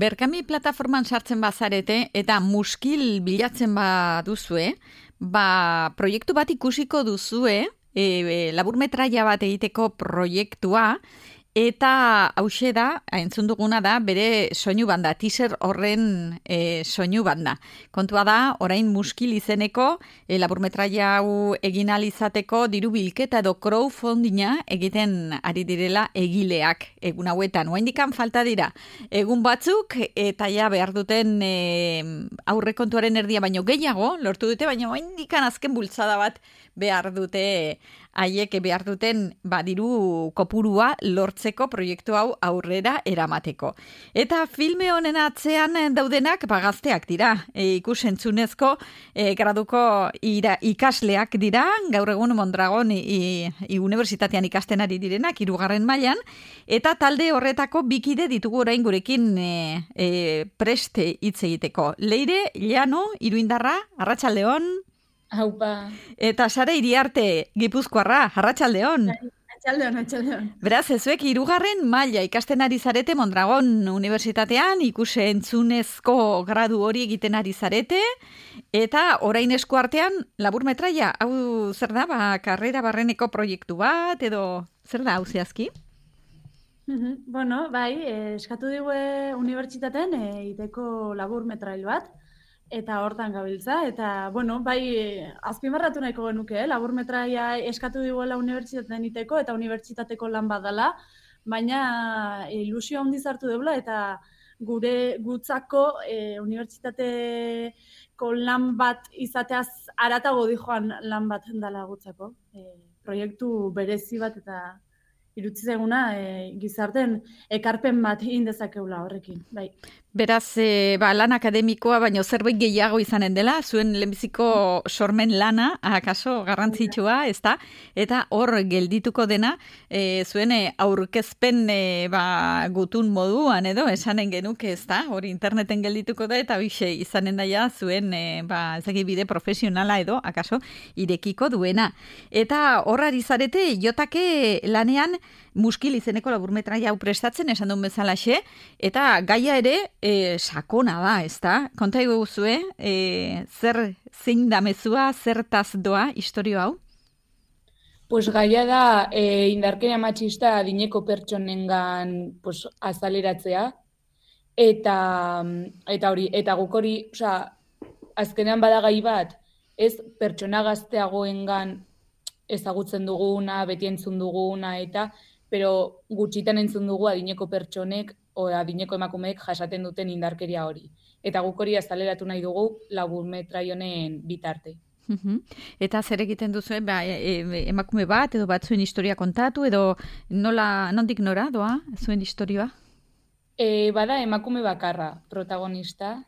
Berkami plataforman sartzen bazarete eta muskil bilatzen baduzue, proiektu bat ikusiko duzue, laburmetraia bat egiteko proiektua, eta hauxe da, entzun duguna da, bere soinu banda, teaser horren soinu banda. Kontua da, orain muskil izeneko laburmetraia hau egin ahal izateko diru bilketa edo crowdfundinga egiten ari direla egileak egun hauetan. Oraindikan falta dira egun batzuk eta ja behar duten aurrekontuaren erdia baino gehiago lortu dute, baina oraindikan azken bultzada bat behar dute haiek behar duten diru kopurua lortzeko proiektu hau aurrera eramateko. Eta filme honen atzean daudenak gazteak dira, ikusentzunezko graduko ikasleak dira, gaur egun Mondragon unibertsitatean ikasten ari direnak, 3. mailan, eta talde horretako bikide ditugu orain gurekin preste hitz egiteko. Leire, Llano, Iruindarra, arratsaldeon. Haupa. Eta Sara Iriarte, Gipuzkoarra, arratsaldeon. Arratsaldeon. Beraz, zuek 3. maila ikasten ari zarete Mondragon Unibertsitatean, ikusentzunezko gradu hori egiten ari zarete, eta orain eskuartean laburmetraia, hau zer da, karrera barreneko proiektu bat, edo zer da hau zehazki? Bueno, eskatu digue unibertsitatean egiteko laburmetrail bat, eta hortan gabiltza, eta, azpimarratu nahiko genuke, laburmetraia eskatu diguela unibertsitatean iteko, eta unibertsitateko lan badala, baina ilusio handiz hartu deula, eta gure gutzako unibertsitateko lan bat izateaz aratago dijoan lan bat dala gutzako. Proiektu berezi bat eta irutzi zaiguna gizarten ekarpen bat indezakeula horrekin, bai. Beraz, lan akademikoa, baino zerbait gehiago izanen dela, zuen lehenbiziko sormen lana, akaso garrantzitsua, ezta? Eta hor geldituko dena, zuen aurkezpen gutun moduan, edo, esanen genuke, ezta? Hor interneten geldituko da, eta bixe izanen daia zuen, bide profesionala edo, akaso, irekiko duena. Eta horrari zarete, jotake lanean, muskil izeneko laburmetraia hau prestatzen, esan duen bezalaxe, eta gaia ere sakona da, ezta? Konta iguzue, zein da mezua, zertaz doa historio hau? Pues gaia da indarkeria matxista adineko pertsonengan azaleratzea, eta guk hori, azkenean bada gai bat, ez pertsona gazteagoengan ezagutzen duguna, beti entzun duguna, pero gutxitan entzun dugu adineko pertsonek o adineko emakumeek jasaten duten indarkeria hori. Eta guk hori azaleratu nahi dugu laburmetrai honen bitarte. Eta zer egiten duzu, emakume bat edo bat zuen historia kontatu, edo nondik nora doa zuen historioa? Bada emakume bakarra protagonista,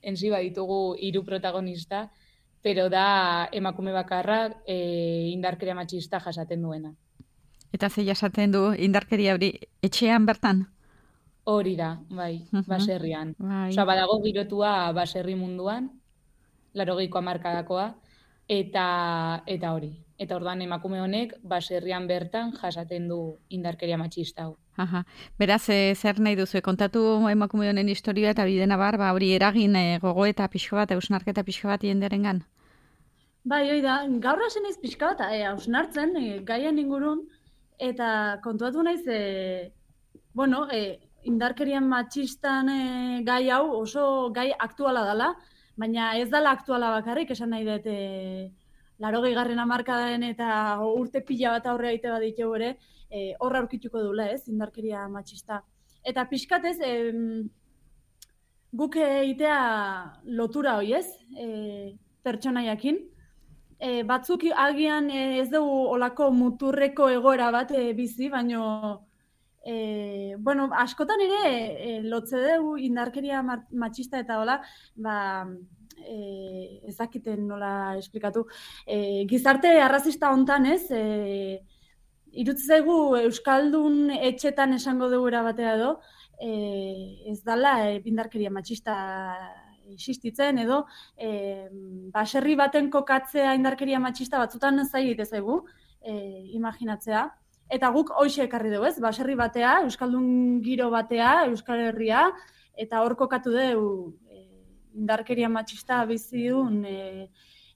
enzi baditugu 3 protagonista, pero da emakume bakarra indarkeria matxista jasaten duena. Eta ze jasaten du indarkeria hori etxean bertan? Hori da, bai, baserrian. Badago girotua baserri munduan, 80ko hamarkadakoa, eta hori. Eta orduan emakume honek baserrian bertan jasaten du indarkeria matxista hau. Beraz, zer nahi duzu, kontatu emakume honen historia eta bidena hori eragin gogo eta pixko bat, hausnarketa pixko bat jendearengan? Bai, hoi da, gaur hasi naiz pixka bat, hausnartzen, gaian ingurun, eta kontuatu naiz, indarkerian matxistan gai hau oso gai aktuala dela, baina ez dela aktuala bakarrik, esan nahi dut 80. hamarkadaren eta urte pila bat aurre aite baditugu ere, horra aurkituko duela, ez, indarkeria matxista. Eta pixkatez, guk egitea lotura hoi, ez, pertsonaiakin. Batzuk agian ez dugu olako muturreko egoera bat bizi, baino askotan ere lotze dugu indarkeria matxista eta hola, ezakiten nola esplikatu. Gizarte arrazista hontan, ez, irutzi zaigu Euskaldun etxetan esango dugu batera edo, ez dala indarkeria matxista existitzen edo baserri baten kokatzea indarkeria matxista batzutan zaila zaigu imaginatzea. eta guk hoxe ekarri dugu, ez? Baserri batea, euskaldun giro batea, Euskal Herria, eta hor kokatu dugu indarkeria matxista bizi duen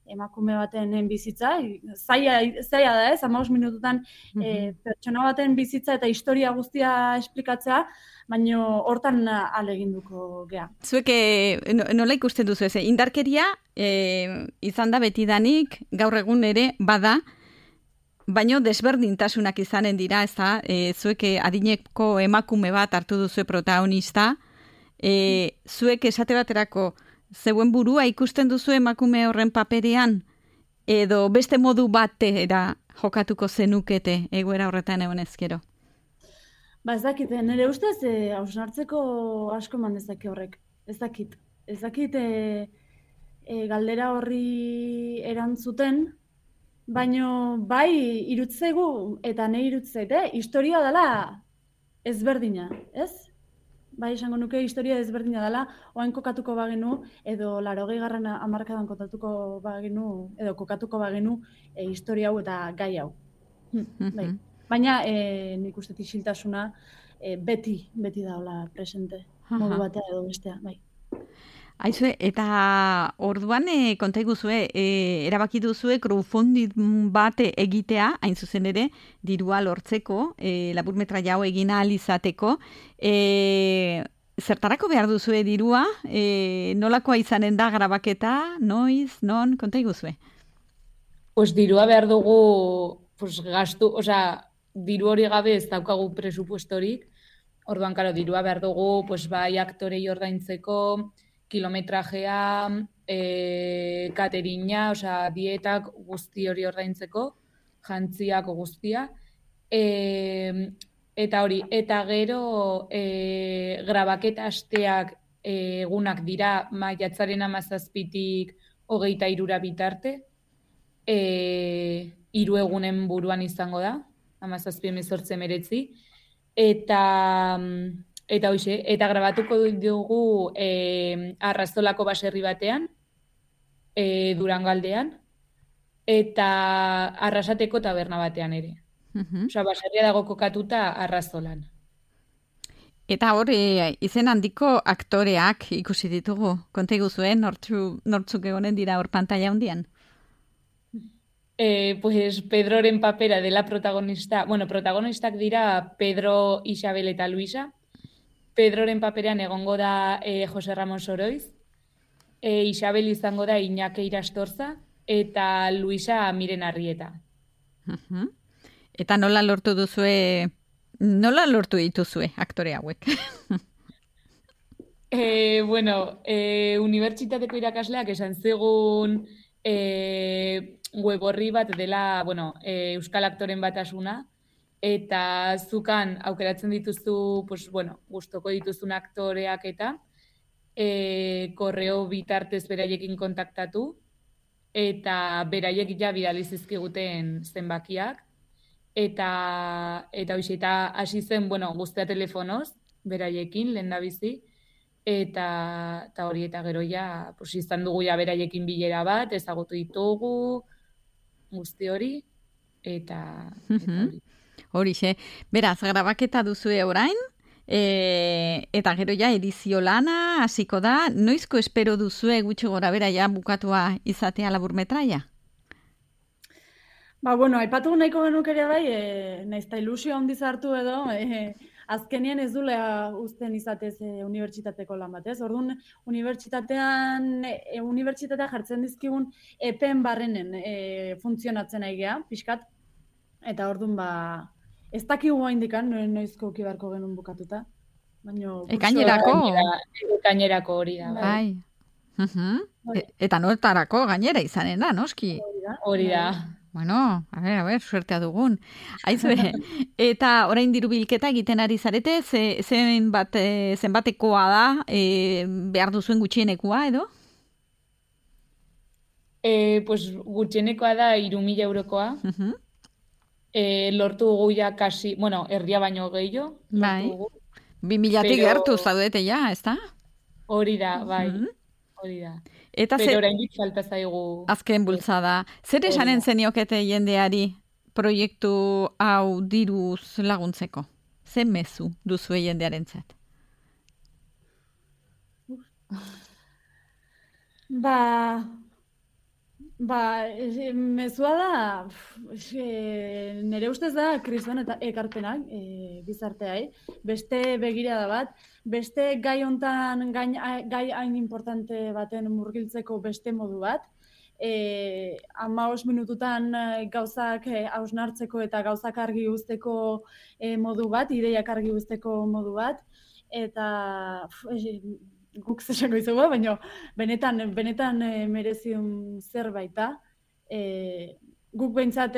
emakume baten bizitza, zaila da ez, 15 minututan pertsona baten bizitza eta historia guztia esplikatzea, baina hortan aleginduko gea. Zuek nola ikusten duzu ez? Indarkeria izan da betidanik, gaur egun ere bada, baino desberdintasunak izanen dira, ez da? Zuek adineko emakume bat hartu duzu protagonista, zuek esate baterako zeuen burua ikusten duzu emakume horren paperean, edo beste modu batera jokatuko zenukete egoera horretan egon ezkero? Ba ez dakit, nire ustez hausnartzeko asko eman dezake horrek. Ez dakit galdera horri erantzuten, baino bai irutzegu eta nahi irutzeit, historia dela ezberdina, ez? Bai, esango nuke historia ezberdina dela, oain kokatuko bagenu, edo 80. hamarkadan kokatuko bagenu historia hau eta gai hau. Bai. Baina nik uste isiltasuna beti daula presente, modu batea edo bestea, bai. Aizue, eta orduan konta iguzue, erabaki duzue crowdfunding bat egitea, hain zuzen ere, dirua lortzeko, laburmetraia hau egin ahal izateko. Zertarako behar duzue dirua? Nolakoa izanen da grabaketa? Noiz? Non? Konta iguzue? Pues dirua behar dugu, pues gastu, diru hori gabe ez daukagu presupuestorik. Orduan, karo, dirua behar dugu, pues bai aktorei ordaintzeko, kilometrajea, katerina, dietak guzti hori ordaintzeko, jantziak guztia. Eta hori, eta gero grabaketa asteak egunak dira maiatzaren 17tik 23 bitarte. 3 egunen buruan izango da, 17, 18, 19. Eta hoxe, eta grabatuko dugu Arrazolako baserri batean, Durango aldean, eta Arrasateko taberna batean ere. Baserria dago kokatuta Arrazolan. Eta hor, izen handiko aktoreak ikusi ditugu. Konta iguzuen, nortzuk egonen dira hor pantalla hundian? Pues Pedroren papera dela protagonista. Bueno, protagonistak dira Pedro, Isabel eta Luisa. Pedroren paperean egongo da Jose Ramon Soroiz, Isabel izango da Iñaki Irastorza, eta Luisa Miren Arrieta. Eta nola lortu dituzue aktore hauek? Unibertsitateko irakasleak esan zigun web horri bat dela, Euskal Aktoren Batasuna, eta zukan aukeratzen dituzu, gustoko dituzun aktoreak eta korreo bitartez beraiekin kontaktatu, eta beraiek ja bidali zizkiguten zenbakiak, eta hasi zen, guztia telefonoz, beraiekin, lehendabizi, eta hori, eta gero ja, izan dugu ja beraiekin bilera bat, ezagutu ditugu, guzti hori, eta hori. Horixe, beraz, grabaketa duzue orain, eta gero ja edizio lana hasiko da, noizko espero duzue gutxi gora bera ja bukatua izatea laburmetraia? Aipatu nahiko genuk ere bai, naizta ilusio handiz hartu edo, azkenean ez dula uzten izatez unibertsitateko lan bat, ez? Orduan, unibertsitatea jartzen dizkigun epen barrenen funtzionatzen nahi geha, pixkat, eta orduan ez dakigu haindikan, noizko ukibarko genuen bukatuta. Ekainerako hori da. Bai. Eta notarako gainera izanen da, noski? Hori da. Bueno, a ver, suertea dugun. Aizue, eta orain diru bilketa egiten ari zarete, zenbatekoa da, behar duzuen gutxienekoa, edo? Gutxienekoa da 3.000 eurokoa. Lortu dugu ja kasi, erdia baino gehiago. Bai, 2.000-tik gertu zaudete ja, ez da? Hori da, bai, hori da. Pero oraindik falta zaigu. Azken bultzada. Zer esanen zeniokete jendeari proiektu hau diruz laguntzeko? Ze mezu duzu jendearentzat? Mezua da, nire ustez da kriston eta ekarpenak gizarteai, beste begirada bat, beste gai hontan gai hain importante baten murgiltzeko beste modu bat, 15 minututan gauzak hausnartzeko eta gauzak argi uzteko modu bat, ideiak argi uzteko modu bat, eta guk zesango izugu, baina benetan mereziun zerbait da. Guk behintzat,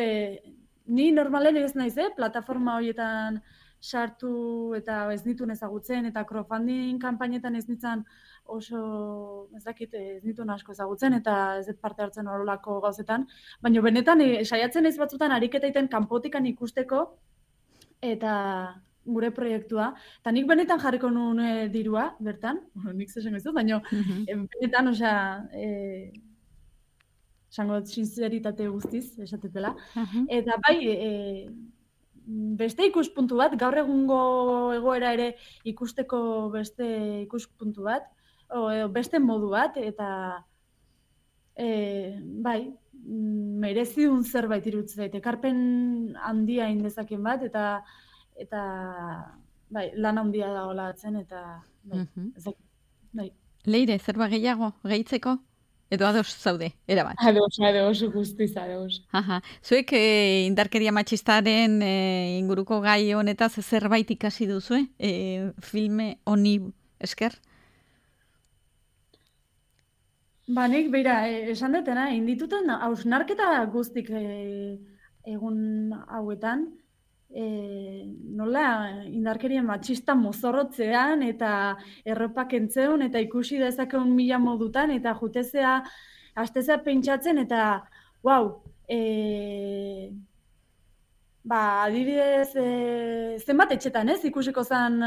ni normalen ez naiz, plataforma horietan sartu eta ez nituen ezagutzen, eta crowdfunding kanpainetan ez nintzen oso, ez dakit, ez nituen asko ezagutzen, eta ez dut parte hartzen horrelako gauzetan, baina benetan saiatzen ez batzutan ariketa egiten kanpotikan ikusteko, eta gure proiektua, eta nik benetan jarriko nuen dirua, bertan, nik zesan ez dut, baina benetan, esango sinceritate guztiz, esatetela, eta bai, beste ikuspuntu bat, gaur egungo egoera ere ikusteko beste ikuspuntu bat, beste modu bat, eta bai, merezidun zerbait iruditzen zait, ekarpen handia indezaken bat, eta bai, lan handia dagoela atzen, eta bai. Leire, zerba gehiago, gehitzeko? Edo ados zaude, erabat? Ados, guztiz ados. Zuek indarkeria matxistaren inguruko gai honetaz zerbait ikasi duzu, filme honi esker? Nik, beira, esan detena, indituten hausnarketa guztik egun hauetan, nola indarkeria matxista mozorrotzean eta erropak entzeun eta ikusi dezakeun mila modutan eta jutezea, hastezea pentsatzen eta, adibidez, zenbat etxetan, ikusiko zen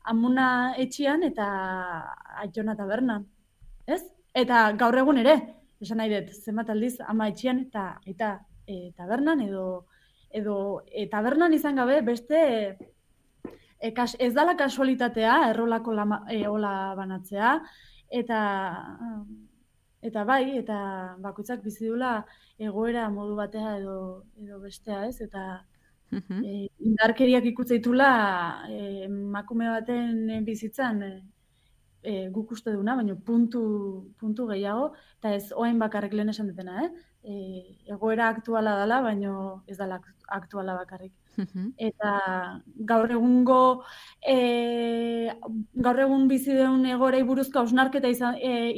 Amuna etxian eta Aitzona tabernan, ez? Eta gaur egun ere, esan nahi dut, zenbat aldiz ama etxian eta tabernan edo tabernan izan gabe beste ez dala kasualitatea errolako ola banatzea eta bai, eta bakoitzak bizi dula egoera modu batea edo bestea, ez? Eta indarkeriak ikutzaitula emakume baten bizitzan guk uste duna, baina puntu gehiago, eta ez oain bakarrik lehen esan dutena, egoera aktuala dela, baina ez dela aktuala bakarrik. Eta gaur egun bizi den egoerei buruzko hausnarketa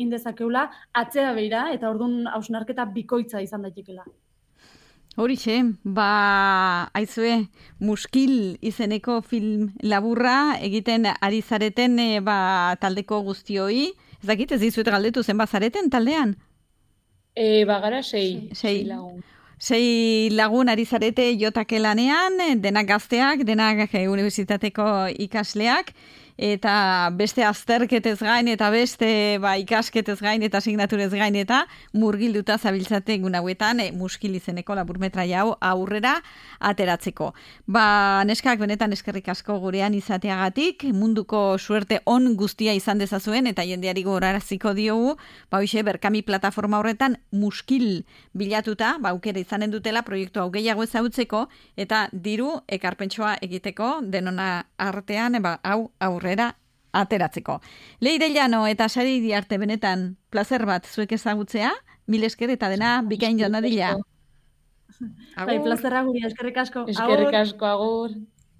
indezakeula, atzera begira, eta orduan hausnarketa bikoitza izan daitekela. Horixe, aizue, Muskil izeneko film laburra egiten ari zareten taldeko guztioi. Ez dakit, ez dizuet galdetu zenbat zareten taldean? Bagara 6 lagun. 6 lagun ari zarete jotake lanean, denak gazteak, denak unibertsitateko ikasleak, eta beste azterketez gain, eta beste ikasketez gain, eta signaturez gain, eta murgilduta zabiltzate egun hauetan Muskil izeneko laburmetraia hau aurrera ateratzeko. Neskak benetan eskerrik asko gurean izateagatik, munduko suerte on guztia izan dezazuen, eta jendeari gogoraraziko diogu, hoxe Berkami plataforma horretan Muskil bilatuta, aukera izanen dutela proiektu hau gehiago ezagutzeko, eta diru ekarpentsoa egiteko denona artean, hau aurrera ateratzeko. Leire Llano eta Sari Iriarte benetan plazer bat zuek ezagutzea, mil esker eta dena bikain joan dadila. Plazerra guri, eskerrik asko. Eskerrik asko, agur.